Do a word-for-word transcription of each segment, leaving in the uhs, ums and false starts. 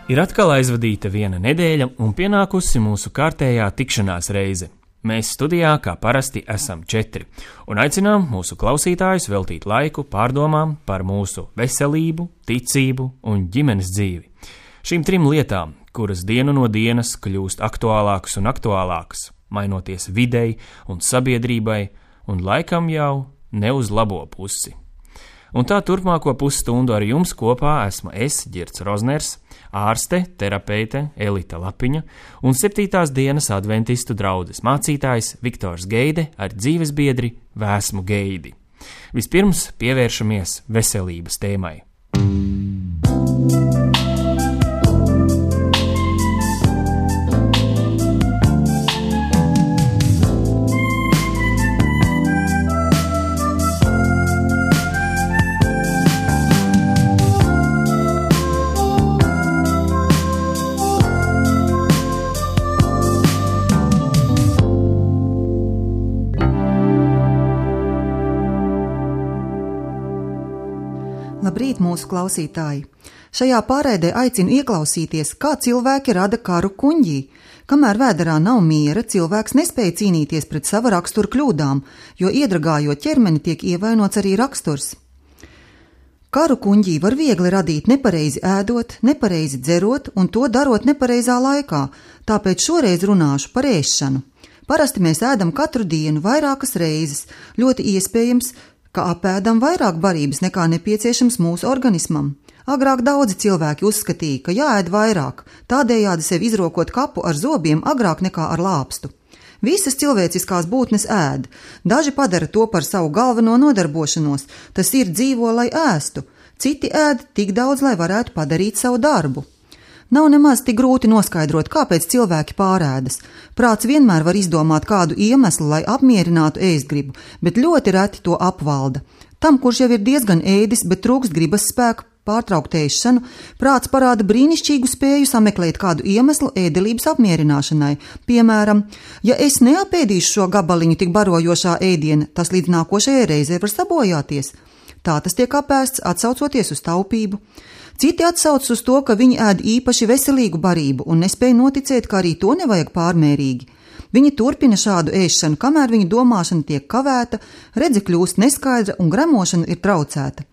Ir atkal aizvadīta viena nedēļa un pienākusi mūsu kārtējā tikšanās reize. Mēs studijā, kā parasti, esam četri un aicinām mūsu klausītājus veltīt laiku pārdomām par mūsu veselību, ticību un ģimenes dzīvi. Šīm trim lietām, kuras dienu no dienas kļūst aktuālākas un aktuālākas, mainoties videi un sabiedrībai un laikam jau ne uz labo pusi. Un tā turpmāko pusstundu ar jums kopā esmu es, Girts Rozners, ārste, terapeite Elita Lapiņa un septītās dienas adventistu draudzes mācītājs Viktors Geide ar dzīvesbiedri Vēsmu Geidi. Vispirms pievēršamies veselības tēmai. Labrīt, mūsu klausītāji! Šajā pārēdē aicinu ieklausīties, kā cilvēki rada karu kuņģī. Kamēr vēderā nav miera, cilvēks nespēja cīnīties pret sava rakstura kļūdām, jo iedragājot ķermeni tiek ievainots arī raksturs. Karu kuņģī var viegli radīt nepareizi ēdot, nepareizi dzerot un to darot nepareizā laikā, tāpēc šoreiz runāšu par ēšanu. Parasti mēs ēdam katru dienu vairākas reizes, ļoti iespējams, ka apēdam vairāk barības nekā nepieciešams mūsu organismam. Agrāk daudzi cilvēki uzskatīja, ka jāēd vairāk, tādējādi sev izrokot kapu ar zobiem agrāk nekā ar lāpstu. Visas cilvēciskās būtnes ēd, daži padara to par savu galveno nodarbošanos, tas ir dzīvo, lai ēstu, citi ēd tik daudz, lai varētu padarīt savu darbu. Nav nemaz tik grūti noskaidrot, kāpēc cilvēki pārēdas. Prāts vienmēr var izdomāt kādu iemeslu, lai apmierinātu ēstgribu, bet ļoti reti to apvalda. Tam, kurš jau ir diezgan ēdis, bet trūkst gribas spēku pārtraukt ēšanu, prāts parāda brīnišķīgu spēju sameklēt kādu iemeslu ēdelības apmierināšanai. Piemēram, ja es neapēdīšu šo gabaliņu tik barojošā ēdiena, tas līdz nākošajai reizei var sabojāties. Tā tas tiek apēsts, atsaucoties uz taupību. Citi atsauc uz to, ka viņi ēd īpaši veselīgu barību un nespēja noticēt, ka arī to nevajag pārmērīgi. Viņi turpina šādu ēšanu, kamēr viņu domāšana tiek kavēta, redze kļūst neskaidra un gremošana ir traucēta.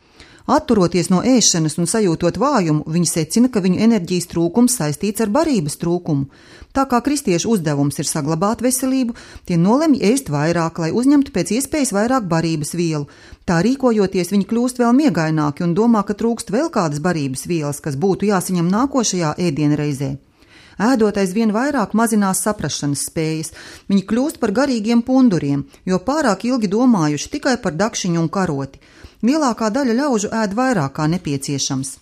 Atturoties no ēšanas un sajūtot vājumu, viņi secina, ka viņu enerģijas trūkums saistīts ar barības trūkumu. Tā kā kristiešu uzdevums ir saglabāt veselību, tie nolemj ēst vairāk, lai uzņemtu pēc iespējas vairāk barības vielu. Tā rīkojoties, viņi kļūst vēl miegaināki un domā, ka trūkst vēl kādas barības vielas, kas būtu jāsaņem nākošajā ēdienreizē. Ēdot aizvien vairāk mazinās saprašanas spējas, viņi kļūst par garīgiem punduriem, jo pārāk ilgi domājuši tikai par dakšiņu un karoti. Lielākā daļa ļaužu ēd vairāk kā nepieciešams.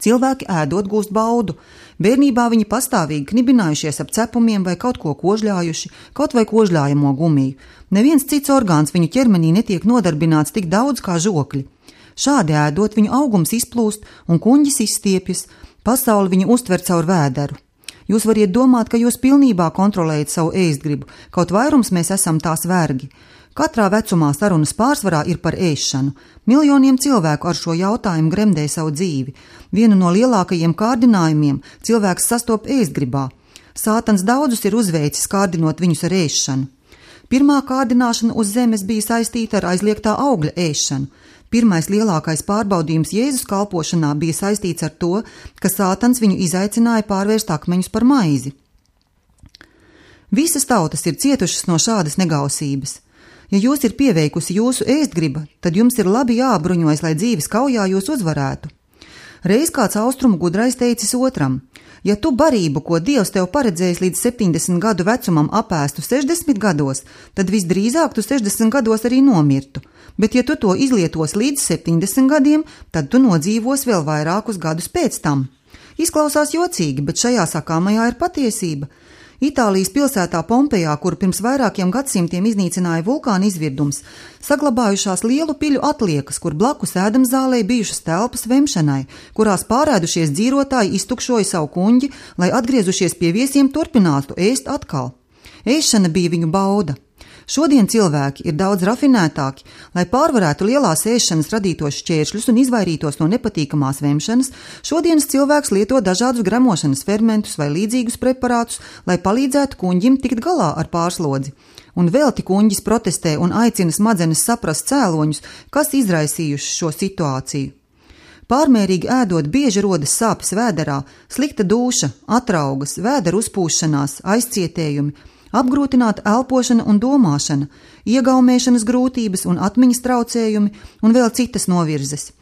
Cilvēki ēdot gūst baudu. Bērnībā viņi pastāvīgi knibinājušies ap cepumiem vai kaut ko kožļājuši, kaut vai kožļājamo gumiju. Neviens cits orgāns viņu ķermenī netiek nodarbināts tik daudz kā žokļi. Šādi ēdot, viņu augums izplūst un kuņģis izstiepjas, pasauli viņu uztver caur vēderu. Jūs variet domāt, ka jūs pilnībā kontrolējat savu ēstgribu, kaut vairums mēs esam tās vergi. Katrā vecumā sarunas pārsvarā ir par ēšanu. Miljoniem cilvēku ar šo jautājumu gremdē savu dzīvi. Vienu no lielākajiem kārdinājumiem cilvēks sastop ēstgribā. Sātans daudzus ir uzveicis kārdinot viņus ar ēšanu. Pirmā kārdināšana uz zemes bija saistīta ar aizliegtā augļa ēšanu. Pirmais lielākais pārbaudījums Jēzus kalpošanā bija saistīts ar to, ka Sātans viņu izaicināja pārvērst akmeņus par maizi. Visas tautas ir cietušas no šādas negausības. Ja jūs ir pieveikusi jūsu ēstgriba, tad jums ir labi jābruņojas, lai dzīves kaujā jūs uzvarētu. Reiz kāds austrumu gudrais teicis otram: ja tu barību, ko Dievs tev paredzējis līdz septiņdesmit gadu vecumam, apēstu sešdesmit gados, tad visdrīzāk tu sešdesmit gados arī nomirtu. Bet ja tu to izlietos līdz septiņdesmit gadiem, tad tu nodzīvos vēl vairākus gadus pēc tam. Izklausās jocīgi, bet šajā sakāmajā ir patiesība. Itālijas pilsētā Pompejā, kur pirms vairākiem gadsimtiem iznīcināja vulkāna izvirdums, saglabājušās lielu piļu atliekas, kur blakus ēdamzālei bijušas telpas vemšanai, kurās pārēdušies dzīrotāji iztukšoja savu kuņģi, lai atgriezušies pie viesiem turpinātu ēst atkal. Ēšana bija viņu bauda. Šodien cilvēki ir daudz rafinētāki, lai pārvarētu lielās ēšanas radītos šķēršļus un izvairītos no nepatīkamās vemšanas. Šodienas cilvēks lieto dažādus gremošanas fermentus vai līdzīgus preparātus, lai palīdzētu kuņģim tikt galā ar pārslodzi. Un velti kuņģis protestē un aicina smadzenes saprast cēloņus, kas izraisījuši šo situāciju. Pārmērīgi ēdot bieži rodas sāpes vēderā, slikta dūša, atraugas, vēdera uzpūšanās, aizcietējumi, apgrūtināta elpošana un domāšana, iegaumēšanas grūtības un atmiņas traucējumi un vēl citas novirzes.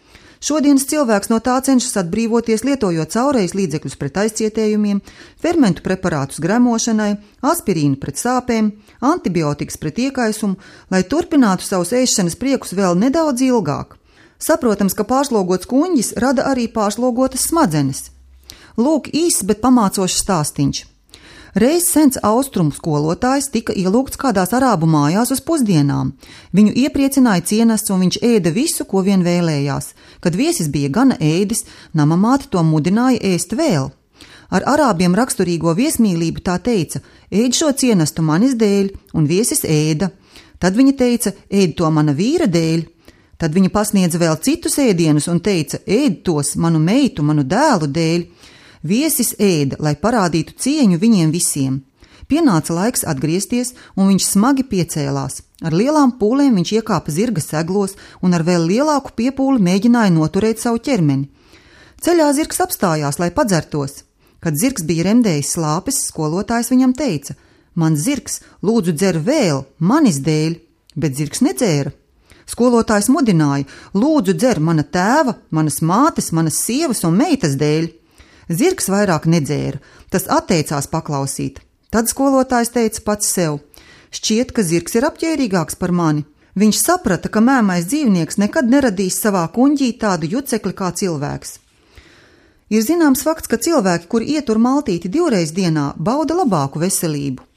Šodienas cilvēks no tā cenšas atbrīvoties, lietojot caurejas līdzekļus pret aizcietējumiem, fermentu preparātus gremošanai, aspirīnu pret sāpēm, antibiotikas pret iekaisumu, lai turpinātu savus ēšanas priekus vēl nedaudz ilgāk. Saprotams, ka pārslogots kuņģis rada arī pārslogotas smadzenes. Lūk īss, bet pamācošs stāstiņš. Reiz sens austrumu skolotājs tika ielūgts kādās arābu mājās uz pusdienām. Viņu iepriecināja cienests un viņš ēda visu, ko vien vēlējās. Kad viesis bija gana ēdis, namamāte to mudināja ēst vēl. Ar arābiem raksturīgo viesmīlību tā teica: ēd šo cienestu manis dēļ, un viesis ēda. Tad viņa teica: ēd to mana vīra dēļ. Tad viņa pasniedza vēl citus ēdienus un teica: ēd tos manu meitu, manu dēlu dēļ. Viesis ēda, lai parādītu cieņu viņiem visiem. Pienāca laiks atgriezties, un viņš smagi piecēlās. Ar lielām pūlēm viņš iekāpa zirga seglos un ar vēl lielāku piepūli mēģināja noturēt savu ķermeni. Ceļā zirgs apstājās, lai padzertos. Kad zirgs bija remdējis slāpes, skolotājs viņam teica: mans zirgs, lūdzu dzer vēl, manis dēļ, bet zirgs nedzēra. Skolotājs mudināja: lūdzu dzer mana tēva, manas mātes, manas sievas un meitas dēļ. Zirgs vairāk nedzēra, tas atteicās paklausīt. Tad skolotājs teica pats sev: šķiet, ka zirgs ir apģērīgāks par mani. Viņš saprata, ka mēmais dzīvnieks nekad neradīs savā kuņģī tādu jucekli kā cilvēks. Ir zināms fakts, ka cilvēki, kuri ietur maltīti divreiz dienā, bauda labāku veselību.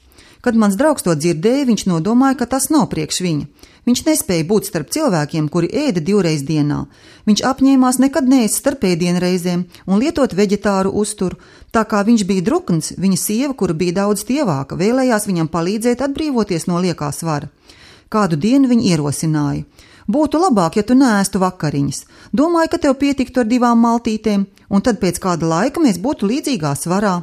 Kad mans draugs to dzirdēja, viņš nodomāja, ka tas nav priekš viņa. Viņš nespēja būt starp cilvēkiem, kuri ēda divreiz dienā. Viņš apņēmās nekad neēst starp ēdienreizēm un lietot veģetāru uzturu. Tā kā viņš bija drukns, viņa sieva, kura bija daudz tievāka, vēlējās viņam palīdzēt atbrīvoties no liekā svara. Kādu dienu viņa ierosināja: būtu labāk, ja tu neēstu vakariņas. Domāju, ka tev pietiktu ar divām maltītēm, un tad pēc kāda laika mēs būtu līdzīgā svarā.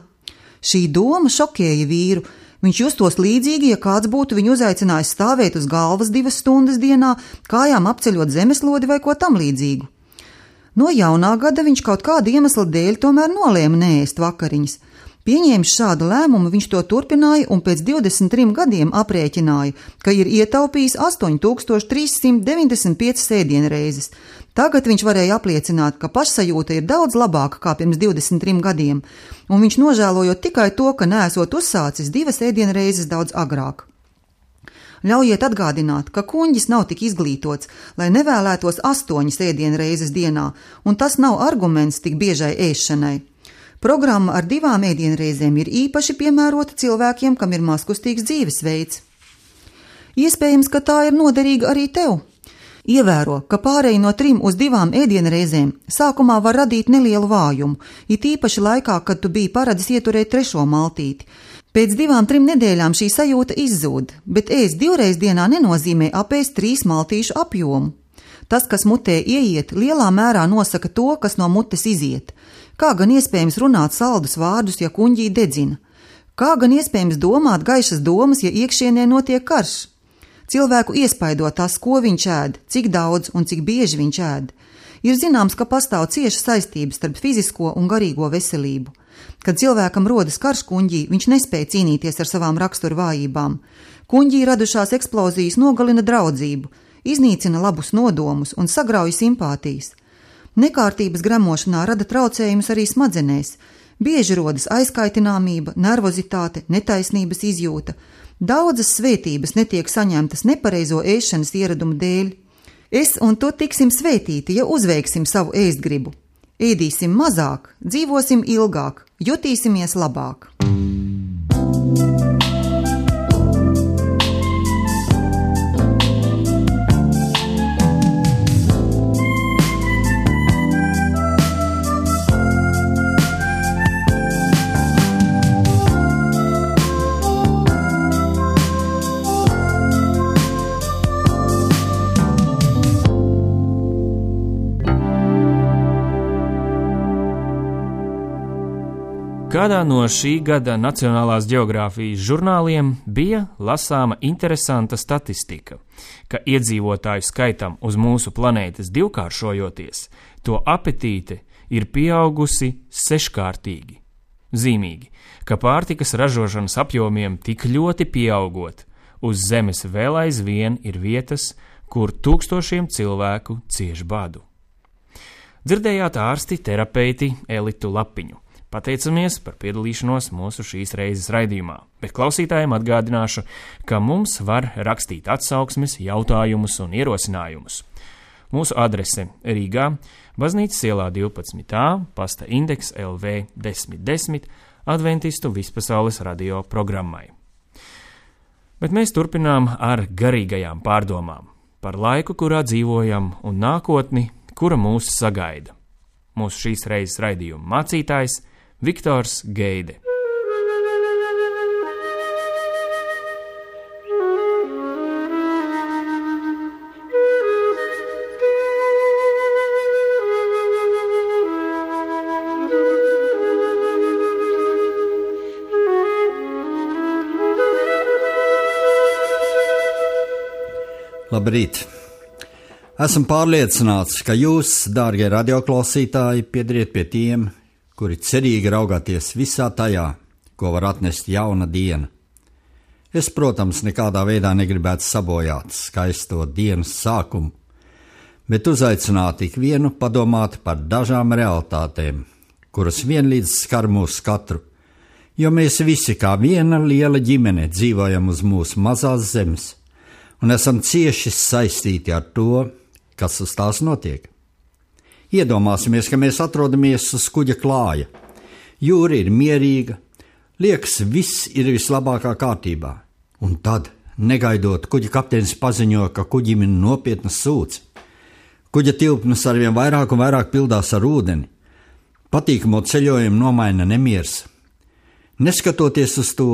Šī doma šokēja vīru. Viņš justos līdzīgi, ja kāds būtu viņu uzaicinājis stāvēt uz galvas divas stundas dienā, kājām apceļot zemeslodi vai ko tam līdzīgu. No jaunā gada viņš kaut kāda iemesla dēļ tomēr nolēma neēst vakariņas. Pieņēmis šādu lēmumu, viņš to turpināja un pēc divdesmit trim gadiem aprēķināja, ka ir ietaupījis astoņi tūkstoši trīs simti deviņdesmit piecas ēdienreizes. Tagad viņš varēja apliecināt, ka pašsajūta ir daudz labāka kā pirms divdesmit trim gadiem, un viņš nožēlojot tikai to, ka neesot uzsācis divas ēdienreizes daudz agrāk. Ļaujiet atgādināt, ka kuņģis nav tik izglītots, lai nevēlētos astoņas ēdienreizes dienā, un tas nav arguments tik biežai ēšanai. Programma ar divām ēdienreizēm ir īpaši piemērota cilvēkiem, kam ir mazkustīgs dzīvesveids. Iespējams, ka tā ir noderīga arī tev. Ievēro, ka pārēj no trim uz divām ēdienreizēm sākumā var radīt nelielu vājumu, it īpaši laikā, kad tu biji paradis ieturēt trešo maltīti. Pēc divām, trim nedēļām šī sajūta izzūd, bet ēst divreiz dienā nenozīmē apēst trīs maltīšu apjomu. Tas, kas mutē ieiet, lielā mērā nosaka to, kas no mutes iziet. Kā gan iespējams runāt saldus vārdus, ja kuņģī dedzina? Kā gan iespējams domāt gaišas domas, ja iekšienē notiek karš? Cilvēku iespaido tas, ko viņš ēd, cik daudz un cik bieži viņš ēd. Ir zināms, ka pastāv cieša saistības starp fizisko un garīgo veselību. Kad cilvēkam rodas karš kuņģī, viņš nespēja cīnīties ar savām rakstura vājībām. Kuņģī radušās eksplozijas nogalina draudzību, iznīcina labus nodomus un sagrauj simpātijas. Nekārtības gremošanā rada traucējumus arī smadzenēs. Bieži rodas aizkaitināmība, nervozitāte, netaisnības izjūta. Daudzas svētības netiek saņemtas nepareizo ēšanas ieradumu dēļ. Es un tu tiksim svētīti, ja uzveiksim savu ēstgribu. Ēdīsim mazāk, dzīvosim ilgāk, jutīsimies labāk. Kādā no šī gada Nacionālās ģeogrāfijas žurnāliem bija lasāma interesanta statistika, ka iedzīvotāju skaitam uz mūsu planētas divkāršojoties, to apetīte ir pieaugusi seškārtīgi. Zīmīgi, ka pārtikas ražošanas apjomiem tik ļoti pieaugot, uz Zemes vēl aizvien ir vietas, kur tūkstošiem cilvēku cieš badu. Dzirdējāt ārsti, terapeiti Elitu Lapiņu. Pateicamies par piedalīšanos mūsu šīs reizes raidījumā, bet klausītājiem atgādināšu, ka mums var rakstīt atsauksmes, jautājumus un ierosinājumus. Mūsu adrese Rīgā, Baznīcas ielā divpadsmit A, pasta indeks L V desmit desmit, Adventistu vispasaules radio programmai. Bet mēs turpinām ar garīgajām pārdomām par laiku, kurā dzīvojam, un nākotni, kura mūs sagaida. Mūsu šīs reizes raidījuma mācītājs Viktors Geide. Labrīt! Esmu pārliecināts, ka jūs, dārgie radioklausītāji, piedariet pie tiem, kuri cerīgi raugāties visā tajā, ko var atnest jauna diena. Es, protams, nekādā veidā negribētu sabojāt skaisto dienas sākumu, bet uzaicināt ikvienu padomāt par dažām realitātēm, kuras vienlīdz skar mūs katru, jo mēs visi kā viena liela ģimene dzīvojam uz mūsu mazās zemes un esam cieši saistīti ar to, kas uz tās notiek. Iedomāsimies, ka mēs atrodamies uz kuģa klāja. Jūra ir mierīga, liekas, viss ir vislabākā kārtībā. Un tad, negaidot, kuģa kapteinis paziņo, ka kuģim ir nopietna sūce. Kuģa tilpnes arvien vairāk un vairāk pildās ar ūdeni. Patīkamo ceļojumu nomaina nemiers. Neskatoties uz to,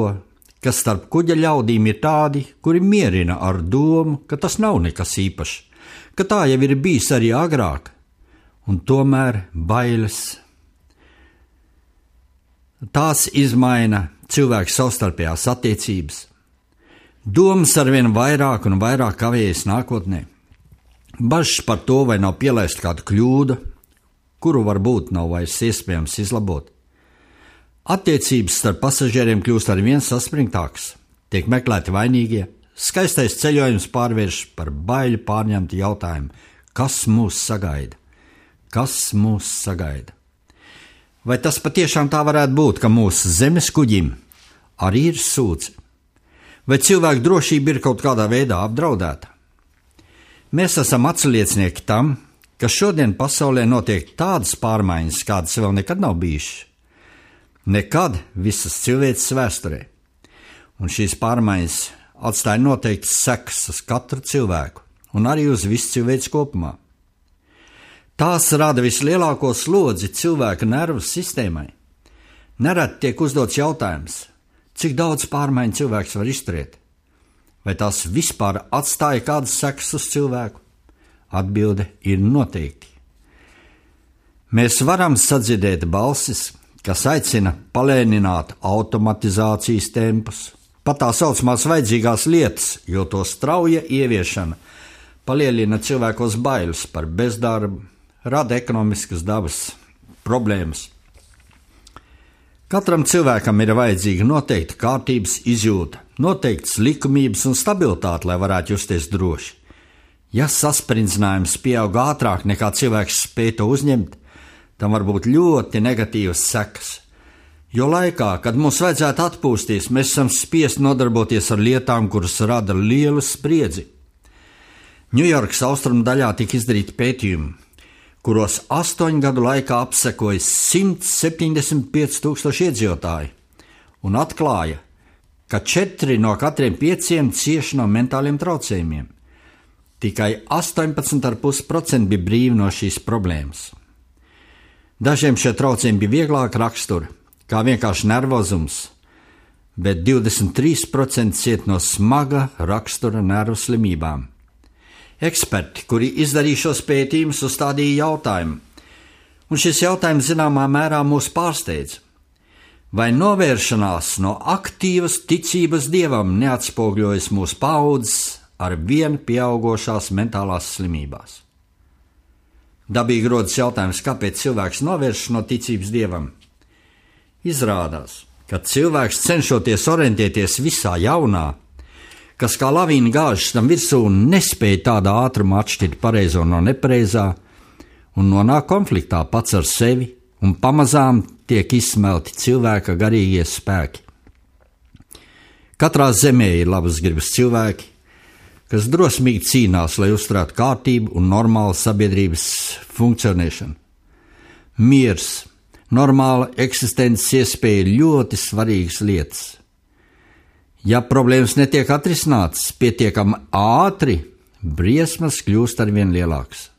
ka starp kuģa ļaudīm ir tādi, kuri mierina ar domu, ka tas nav nekas īpašs, ka tā jau ir bijis arī agrāk, un tomēr bailes. Tās izmaina cilvēku savstarpējās attiecības. Domas arvien vairāk un vairāk kavējas nākotnē. Bažas par to, vai nav pielaista kāda kļūda, kuru varbūt nav vairs iespējams izlabot. Attiecības starp pasažieriem kļūst arvien saspringtākas, tiek meklēti vainīgie, skaistais ceļojums pārvērš par baiļu pārņemtu jautājumu, kas mūs sagaida, kas mūs sagaida. Vai tas patiešām tā varētu būt, ka mūsu zemes kuģim arī ir sūce? Vai cilvēku drošība ir kaut kādā veidā apdraudēta? Mēs esam atsliecinieki tam, ka šodien pasaulē notiek tādas pārmaiņas, kādas vēl nekad nav bijušas. Nekad visas cilvēces vēsturē. Un šīs pārmaiņas atstāja noteikti sekas uz katru cilvēku un arī uz visu cilvēci kopumā. Tās rada vislielāko slodzi cilvēka nervu sistēmai. Nereti tiek uzdots jautājums, cik daudz pārmaiņu cilvēks var izturēt? Vai tās vispār atstāja kādas sekas uz cilvēku? Atbilde ir noteikti. Mēs varam sadzirdēt balsis, kas aicina palēnināt automatizācijas tempus, pat tā saucamās vajadzīgās lietas, jo to strauja ieviešana palielina cilvēkos bailes par bezdarbu, rada ekonomiskas dabas problēmas. Katram cilvēkam ir vajadzīga noteikta kārtības izjūta, noteikts likumības un stabilitāte, lai varētu justies droši. Ja saspringzinājums pieaug ātrāk nekā cilvēks spēj to uzņemt, tam var būt ļoti negatīvas sekas, jo laikā, kad mums vajadzētu atpūsties, mēs esam spiesti nodarboties ar lietām, kuras rada lielu spriedzi. Ņujorkas austrumu daļā tika izdarīti pētījumi, kuros astoņu gadu laikā apsekoja simt septiņdesmit pieci tūkstoši iedzīvotāji un atklāja, ka četri no katriem pieciem cieši no mentāliem traucējumiem. Tikai astoņpadsmit komats pieci procenti bija brīvi no šīs problēmas. Dažiem šie traucējumi bija vieglāka rakstura, kā vienkārši nervozums, bet divdesmit trīs procenti ciet no smaga rakstura nervu slimībām. Eksperti, kuri izdarīja šos pētījumus, uzstādīja jautājumu, un šis jautājums zināmā mērā mūs pārsteidz. Vai novēršanās no aktīvas ticības Dievam neatspogļojas mūsu paudzes ar vien pieaugošās mentālās slimībās? Dabīgi rodas jautājums, kāpēc cilvēks novēršas no ticības Dievam? Izrādās, ka cilvēks cenšoties orientēties visā jaunā, kas kā lavīna gāžas tam virsū un nespēja tādā ātrumā atšķirt pareizo no nepareizā un nonāk konfliktā pats ar sevi, un pamazām tiek izsmelti cilvēka garīgie spēki. Katrā zemē ir labas gribas cilvēki, kas drosmīgi cīnās, lai uzturētu kārtību un normālu sabiedrības funkcionēšanu. Miers, normāla eksistences iespēja ir ļoti svarīgas lietas. Ja problēmas netiek atrisinātas pietiekami ātri, briesmas kļūst arvien lielākas.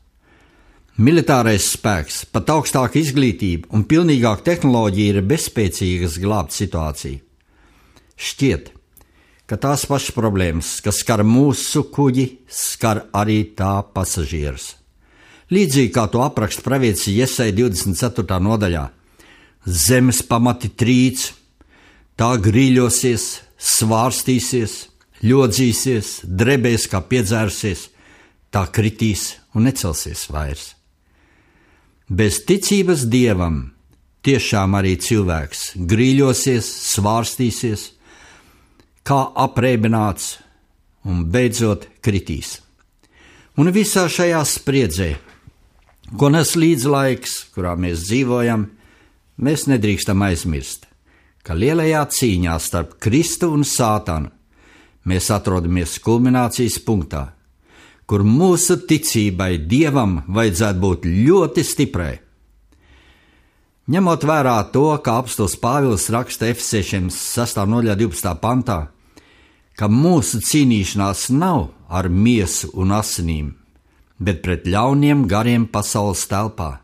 Militārais spēks, pat augstāka izglītība un pilnīgāka tehnoloģija ir bezspēcīgas glābt situāciju. Šķiet, ka tās pašas problēmas, kas skar mūsu kuģi, skar arī tā pasažierus. Līdzīgi kā to apraksta pravietis Jesaja divdesmit ceturtā nodaļā. Zemes pamati trīc, tā grīļosies, svārstīsies, ļodzīsies, drebēs kā piedzērusies, tā kritīs un necelsies vairs. Bez ticības Dievam tiešām arī cilvēks grīļosies, svārstīsies, kā aprēbināts un beidzot kritīs. Un visā šajā spriedzē, ko nes līdz laiks, kurā mēs dzīvojam, mēs nedrīkstam aizmirst, ka lielajā cīņā starp Kristu un Sātanu mēs atrodamies kulminācijas punktā, kur mūsu ticībai Dievam vajadzētu būt ļoti stiprai. Ņemot vērā to, ka apostols Pāvils raksta Efesiešiem sestā nodaļā divpadsmitā pantā, ka mūsu cīnīšanās nav ar miesu un asinīm, bet pret ļauniem gariem pasaules telpā.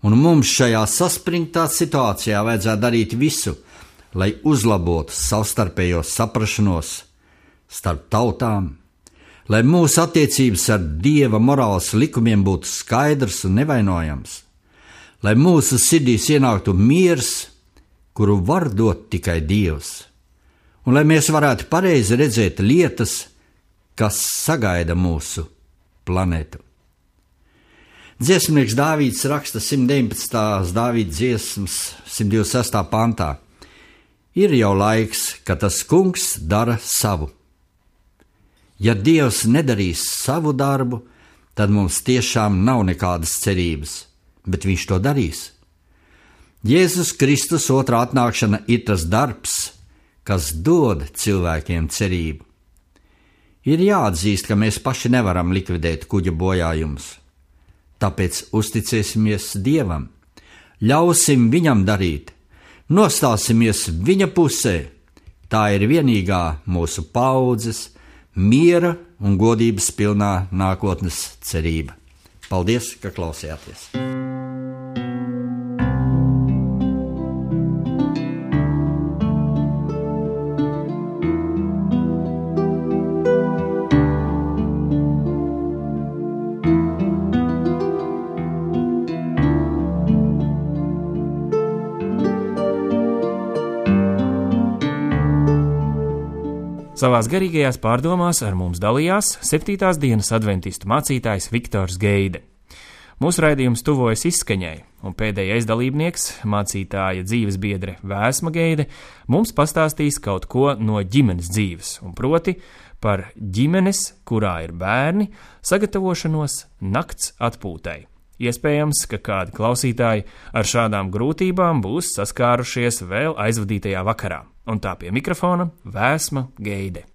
Un mums šajā saspringtā situācijā vajadzētu darīt visu, lai uzlabotu savstarpējo saprašanos starp tautām, lai mūsu attiecības ar Dieva morāles likumiem būtu skaidrs un nevainojams, lai mūsu sirdīs ienāktu miers, kuru var dot tikai Dievs, un lai mēs varētu pareizi redzēt lietas, kas sagaida mūsu planētu. Dziesmnieks Dāvīds raksta simt deviņpadsmitās Dāvīda dziesmas simt divdesmit sestā pantā. Ir jau laiks, ka tas kungs dara savu. Ja Dievs nedarīs savu darbu, tad mums tiešām nav nekādas cerības, bet viņš to darīs. Jēzus Kristus otrā atnākšana ir tas darbs, kas dod cilvēkiem cerību. Ir jāatzīst, ka mēs paši nevaram likvidēt kuģa bojājumus, tāpēc uzticēsimies Dievam, ļausim viņam darīt, nostāsimies viņa pusē, tā ir vienīgā mūsu paudzes, miera un godības pilnā nākotnes cerība. Paldies, ka klausījāties! Savās garīgajās pārdomās ar mums dalījās septītās dienas adventistu mācītājs Viktors Geide. Mūsu raidījums tuvojas izskaņai, un pēdējais dalībnieks, mācītāja dzīves biedre Vēsma Geide, mums pastāstīs kaut ko no ģimenes dzīves, un proti par ģimenes, kurā ir bērni, sagatavošanos nakts atpūtai. Iespējams, ka kādi klausītāji ar šādām grūtībām būs saskārušies vēl aizvadītajā vakarā. Un tā pie mikrofona Vēsma Geide.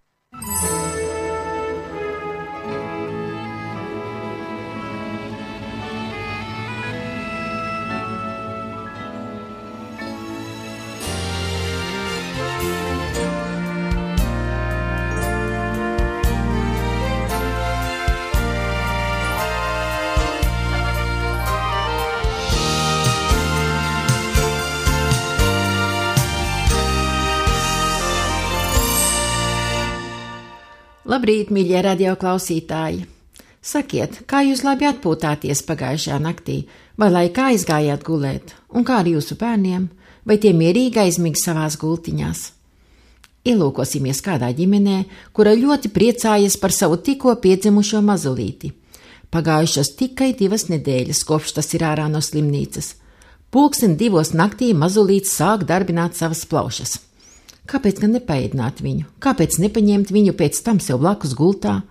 Labrīt, mīļie radio klausītāji! Sakiet, kā jūs labi atpūtāties pagājušajā naktī, vai laikā aizgājāt gulēt, un kā ar jūsu bērniem? vai tie mierīgi aizmig savās gultiņās. Ielūkosimies kādā ģimenē, kura ļoti priecājas par savu tikko piedzimušo mazulīti. Pagājušas tikai divas nedēļas, kopš tas ir ārā no slimnīcas. Pulksten divos naktī mazulīts sāk darbināt savas plaušas. Kāpēc gan nepaēdināt viņu? Kāpēc nepaņemt viņu pēc tam sev blakus gultā?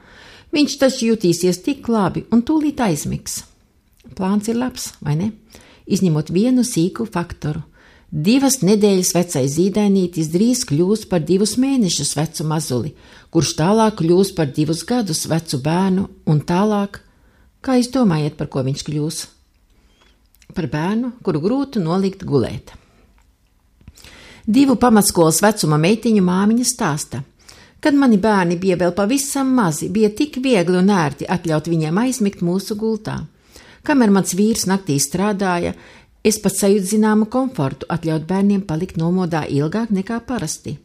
Viņš taču jutīsies tik labi un tūlīt aizmigs. Plāns ir labs, vai ne? Izņemot vienu sīku faktoru. Divas nedēļas vecais zīdainītis drīz kļūs par divus mēnešus vecu mazuli, kurš tālāk kļūs par divus gadus vecu bērnu un tālāk, kā jūs domājat, par ko viņš kļūs? Par bērnu, kuru grūti nolikt gulēt. Divu pamatskolas vecuma meitiņu māmiņa stāsta. Kad mani bērni bija vēl pavisam mazi, bija tik viegli un ērti atļaut viņiem aizmigt mūsu gultā. Kamēr mans vīrs naktī strādāja, es pat sajūtu zināmu komfortu atļaut bērniem palikt nomodā ilgāk nekā parasti.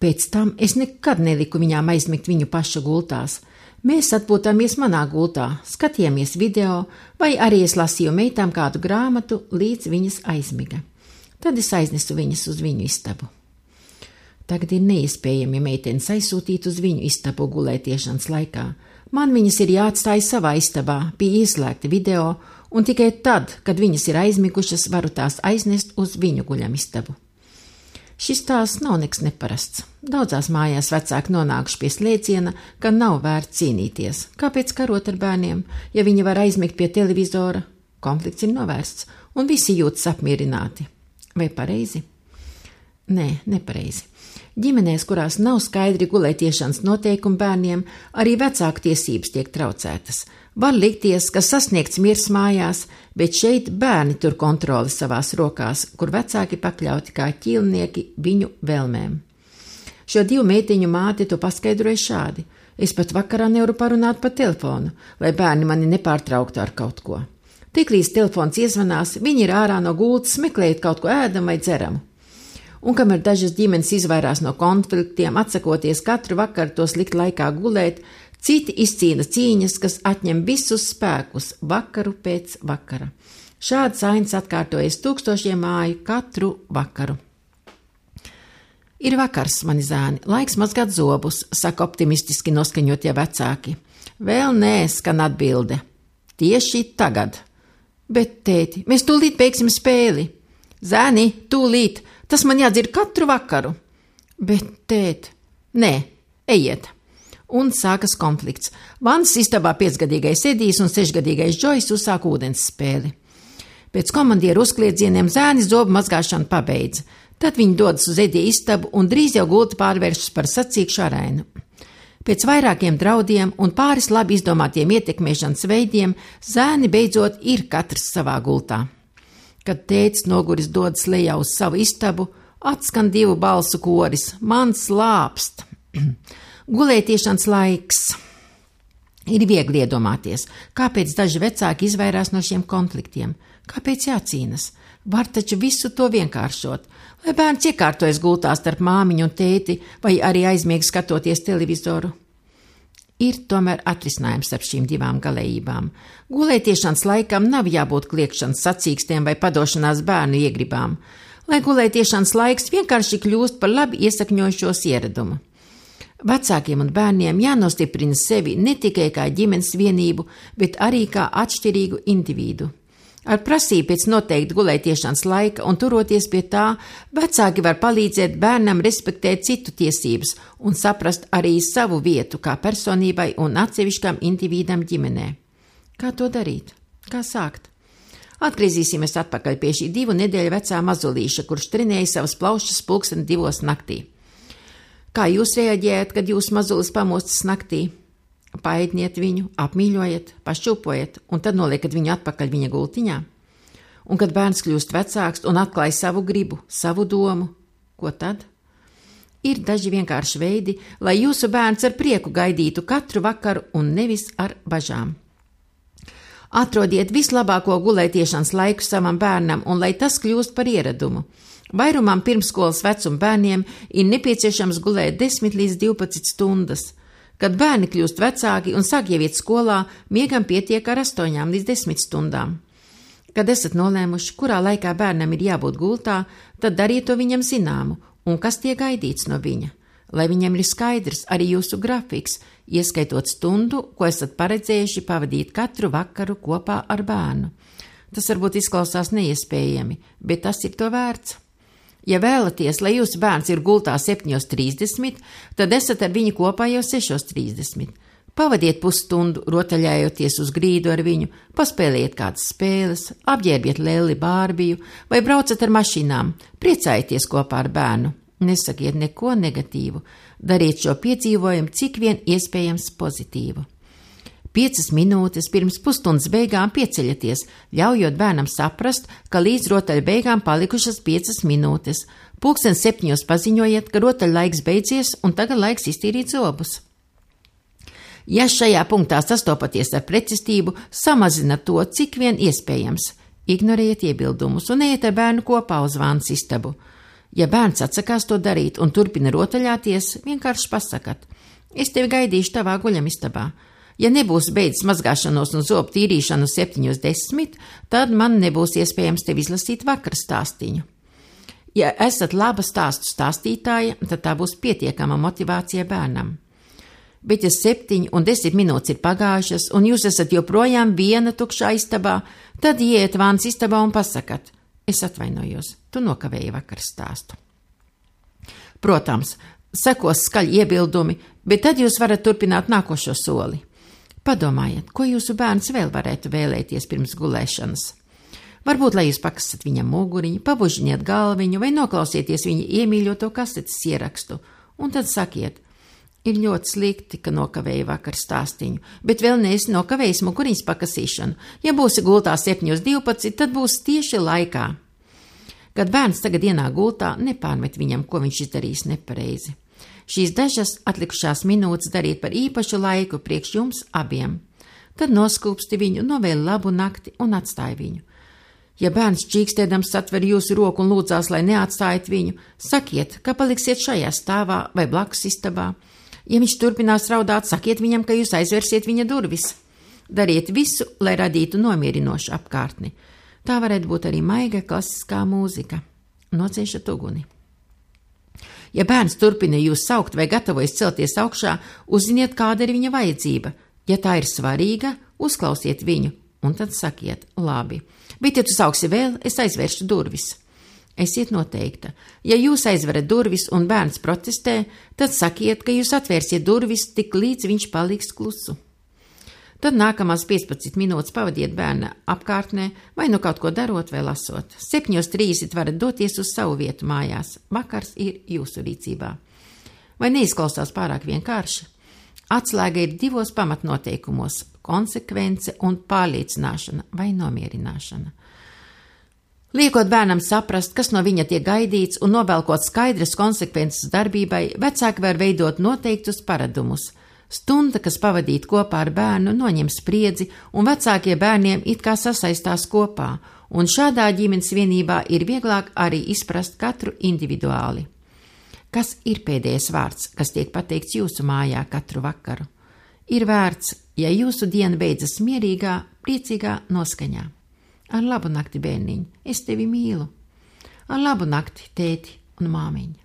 Pēc tam es nekad neliku viņām aizmigt viņu paša gultās. Mēs atpūtāmies manā gultā, skatījāmies video, vai arī es lasīju meitām kādu grāmatu, līdz viņas aizmiga. Tad es aiznesu viņas uz viņu istabu. Tagad ir neiespējami meitenes aizsūtīt uz viņu istabu gulētiešanas laikā. Man viņas ir jāatstāj savā istabā, pie ieslēgta video, un tikai tad, kad viņas ir aizmigušas, varu tās aiznest uz viņu guļamistabu. Šis tās nav nekas neparasts. Daudzās mājās vecāki nonākuši pie slēdziena, ka nav vērts cīnīties. Kāpēc karot ar bērniem, ja viņi var aizmigt pie televizora? Konflikts ir novērsts, un visi jūtas apmierināti. Vai pareizi? Nē, nepareizi. Ģimenēs, kurās nav skaidri gulētiešanas noteikumi bērniem, arī vecāku tiesības tiek traucētas. Var likties, ka sasniegts miers mājās, bet šeit bērni tur kontroli savās rokās, kur vecāki pakļauti kā ķīlnieki viņu vēlmēm. Šo divu meitiņu māte to paskaidroja šādi. Es pat vakarā nevaru parunāt pa telefonu, lai bērni mani nepārtrauktu ar kaut ko. Tiklīdz telefons iezvanās, viņi ir ārā no gultas, meklējot kaut ko ēdam vai dzeramu. Un kamēr dažas ģimenes izvairās no konfliktiem, atsakoties katru vakaru tos likt laikā gulēt, citi izcīna cīņas, kas atņem visus spēkus vakaru pēc vakara. Šāds ainas atkārtojas tūkstošiem māju katru vakaru. Ir vakars, mani zēni, laiks mazgāt zobus, saka optimistiski noskaņotie vecāki. Vēl nē, skan atbilde. Tieši tagad. Bet, tēti, mēs tūlīt beigsim spēli. Zēni, tūlīt. Tas man jādzer katru vakaru. Bet, tēt, nē, ejiet. Un sākas konflikts. Vannas istabā piecgadīgais Edijs un sešgadīgais Džojs uzsāk ūdens spēli. Pēc komandieru uzkliedzieniem zēni zobu mazgāšanu pabeidza. Tad viņi dodas uz Edija istabu un drīz jau gulta pārvēršas par sacīkšu arēnu. Pēc vairākiem draudiem un pāris labi izdomātiem ietekmēšanas veidiem zēni beidzot ir katrs savā gultā. Kad tētis noguris dodas lejā uz savu istabu, atskan divu balsu koris. Man slāpst. Gulētiešanas laiks. Ir viegli iedomāties, kāpēc daži vecāki izvairās no šiem konfliktiem. Kāpēc jācīnas? Var taču visu to vienkāršot. Lai bērns iekārtojas gultā starp māmiņu un tēti, vai arī aizmieg skatoties televizoru. Ir tomēr atrisinājums starp šīm divām galējībām. Gulētiešanas laikam nav jābūt kliekšanas sacīkstiem vai padošanās bērnu iegribām, lai gulētiešanas laiks vienkārši kļūst par labi iesakņojušos ieradumu. Vecākiem un bērniem jānostiprina sevi ne tikai kā ģimenes vienību, bet arī kā atšķirīgu individu. Ar prasību pēc noteikti gulētiešanas laika un turoties pie tā, vecāki var palīdzēt bērnam respektēt citu tiesības un saprast arī savu vietu kā personībai un atsevišķam individam ģimenē. Kā to darīt? Kā sākt? Atgriezīsimies atpakaļ pie šī divu nedēļu vecā mazulīša, kurš trenēja savas plaušas pulksten divos naktī. Kā jūs reaģējat, kad jūs mazulis pamostas naktī? Paēdniet viņu, apmīļojiet, pašķupojiet un tad noliekat viņu atpakaļ viņa gultiņā. Un kad bērns kļūst vecāks un atklāj savu gribu, savu domu, ko tad? Ir daži vienkārši veidi, lai jūsu bērns ar prieku gaidītu katru vakaru un nevis ar bažām. Atrodiet vislabāko gulētiešanas laiku savam bērnam un lai tas kļūst par ieradumu. Vairumam pirmskolas vecuma bērniem ir nepieciešams gulēt desmit līdz divpadsmit stundas. Kad bērni kļūst vecāki un sāk jau iet skolā, miegam pietiek ar astoņām līdz desmit stundām. Kad esat nolēmuši, kurā laikā bērnam ir jābūt gultā, tad dariet to viņam zināmu, un kas tiek gaidīts no viņa. Lai viņam ir skaidrs arī jūsu grafiks, ieskaitot stundu, ko esat paredzējuši pavadīt katru vakaru kopā ar bērnu. Tas varbūt izklausās neiespējami, bet tas ir to vērts. Ja vēlaties, lai jūsu bērns ir gultā septiņos trīsdesmit, tad esat ar viņu kopā jau sešos trīsdesmit. Pavadiet pusstundu, rotaļājoties uz grīdu ar viņu, paspēliet kādas spēles, apģērbiet Lelli Bārbiju vai braucat ar mašīnām, priecājieties kopā ar bērnu. Nesakiet neko negatīvu, dariet šo piedzīvojumu cik vien iespējams pozitīvu. Piecas minūtes pirms pusstundas beigām pieceļaties, ļaujot bērnam saprast, ka līdz rotaļu beigām palikušas piecas minūtes. Pulksten septiņos paziņojiet, ka rotaļu laiks beidzies un tagad laiks iztīrīt zobus. Ja šajā punktā sastopaties ar pretestību, samazinat to, cik vien iespējams. Ignorējiet iebildumus un ejiet ar bērnu kopā uz vānas istabu. Ja bērns atsakās to darīt un turpina rotaļāties, vienkārši pasakat: es tevi gaidīšu tavā guļamistabā. Ja nebūs beidzis mazgāšanos un zobu tīrīšanu septiņos desmit, tad man nebūs iespējams tevi izlasīt vakara stāstiņu. Ja esat laba stāstu stāstītāja, tad tā būs pietiekama motivācija bērnam. Bet ja septiņi un desmit minūtes ir pagājušas un jūs esat joprojām viena tukšā istabā, tad ieiet vānas istabā un pasakat: es atvainojos, tu nokavēji vakar stāstu. Protams, sekos skaļi iebildumi, bet tad jūs varat turpināt nākošo soli. Padomājiet, ko jūsu bērns vēl varētu vēlēties pirms gulēšanas. Varbūt, lai jūs pakasat viņam muguriņu, pabužiniet galviņu vai noklausieties viņa iemīļoto kasetes ierakstu, un tad sakiet: ir ļoti slikti, ka nokavēji vakar stāstiņu, bet vēl neesi nokavējis muguriņas pakasīšanu. Ja būsi gultā septiņos divpadsmit, tad būs tieši laikā. Kad bērns tagad ienāk gultā, nepārmet viņam, ko viņš izdarījis nepareizi. Šīs dažas atlikušās minūtes dariet par īpašu laiku priekš jums abiem. Tad noskūpsti viņu, novēl labu nakti un atstāj viņu. Ja bērns čīkstēdams satver jūsu roku un lūdzās, lai neatstājat viņu, sakiet, ka paliksiet šajā stāvā vai blakus istabā. Ja viņš turpinās raudāt, sakiet viņam, ka jūs aizversiet viņa durvis. Dariet visu, lai radītu nomierinošu apkārtni. Tā varētu būt arī maiga klasiskā mūzika. Nociešat uguni. Ja bērns turpina jūs saukt vai gatavojas celties augšā, uzziniet, kāda ir viņa vajadzība. Ja tā ir svarīga, uzklausiet viņu un tad sakiet: labi, bet ja tu sauksi vēl, es aizvēršu durvis. Esiet noteikta. Ja jūs aizverat durvis un bērns protestē, tad sakiet, ka jūs atvērsiet durvis tik līdz viņš paliks klusu. Tad nākamās piecpadsmit minūtes pavadiet bērna apkārtnē, vai nu kaut ko darot vai lasot. septiņos trīsdesmit varat doties uz savu vietu mājās. Vakars ir jūsu rīcībā. Vai neizklausās pārāk vienkārši? Atslēga ir divos pamatnoteikumos – konsekvence un pārliecināšana vai nomierināšana. Liekot bērnam saprast, kas no viņa tiek gaidīts un novelkot skaidras konsekvences darbībai, vecāki var veidot noteiktus paradumus. Stunda, kas pavadīta kopā ar bērnu, noņem spriedzi, un vecākie bērniem it kā sasaistās kopā, un šādā ģimenes vienībā ir vieglāk arī izprast katru individuāli. Kas ir pēdējais vārds, kas tiek pateikts jūsu mājā katru vakaru? Ir vērts, ja jūsu diena beidzas mierīgā, priecīgā noskaņā. Ar labu nakti, bērniņ, es tevi mīlu. Ar labu nakti, tēti un māmiņa.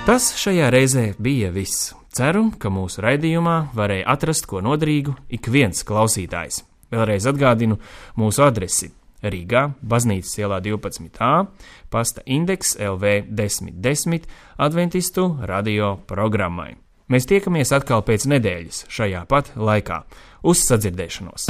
Tas šajā reizē bija viss. Ceru, ka mūsu raidījumā varēja atrast ko nodrīgu ik viens klausītājs. Vēlreiz atgādinu mūsu adresi Rīgā, Baznīcas ielā divpadsmit A, pasta indeks L V desmit desmit Adventistu radio programmai. Mēs tiekamies atkal pēc nedēļas šajā pat laikā. Uz sadzirdēšanos!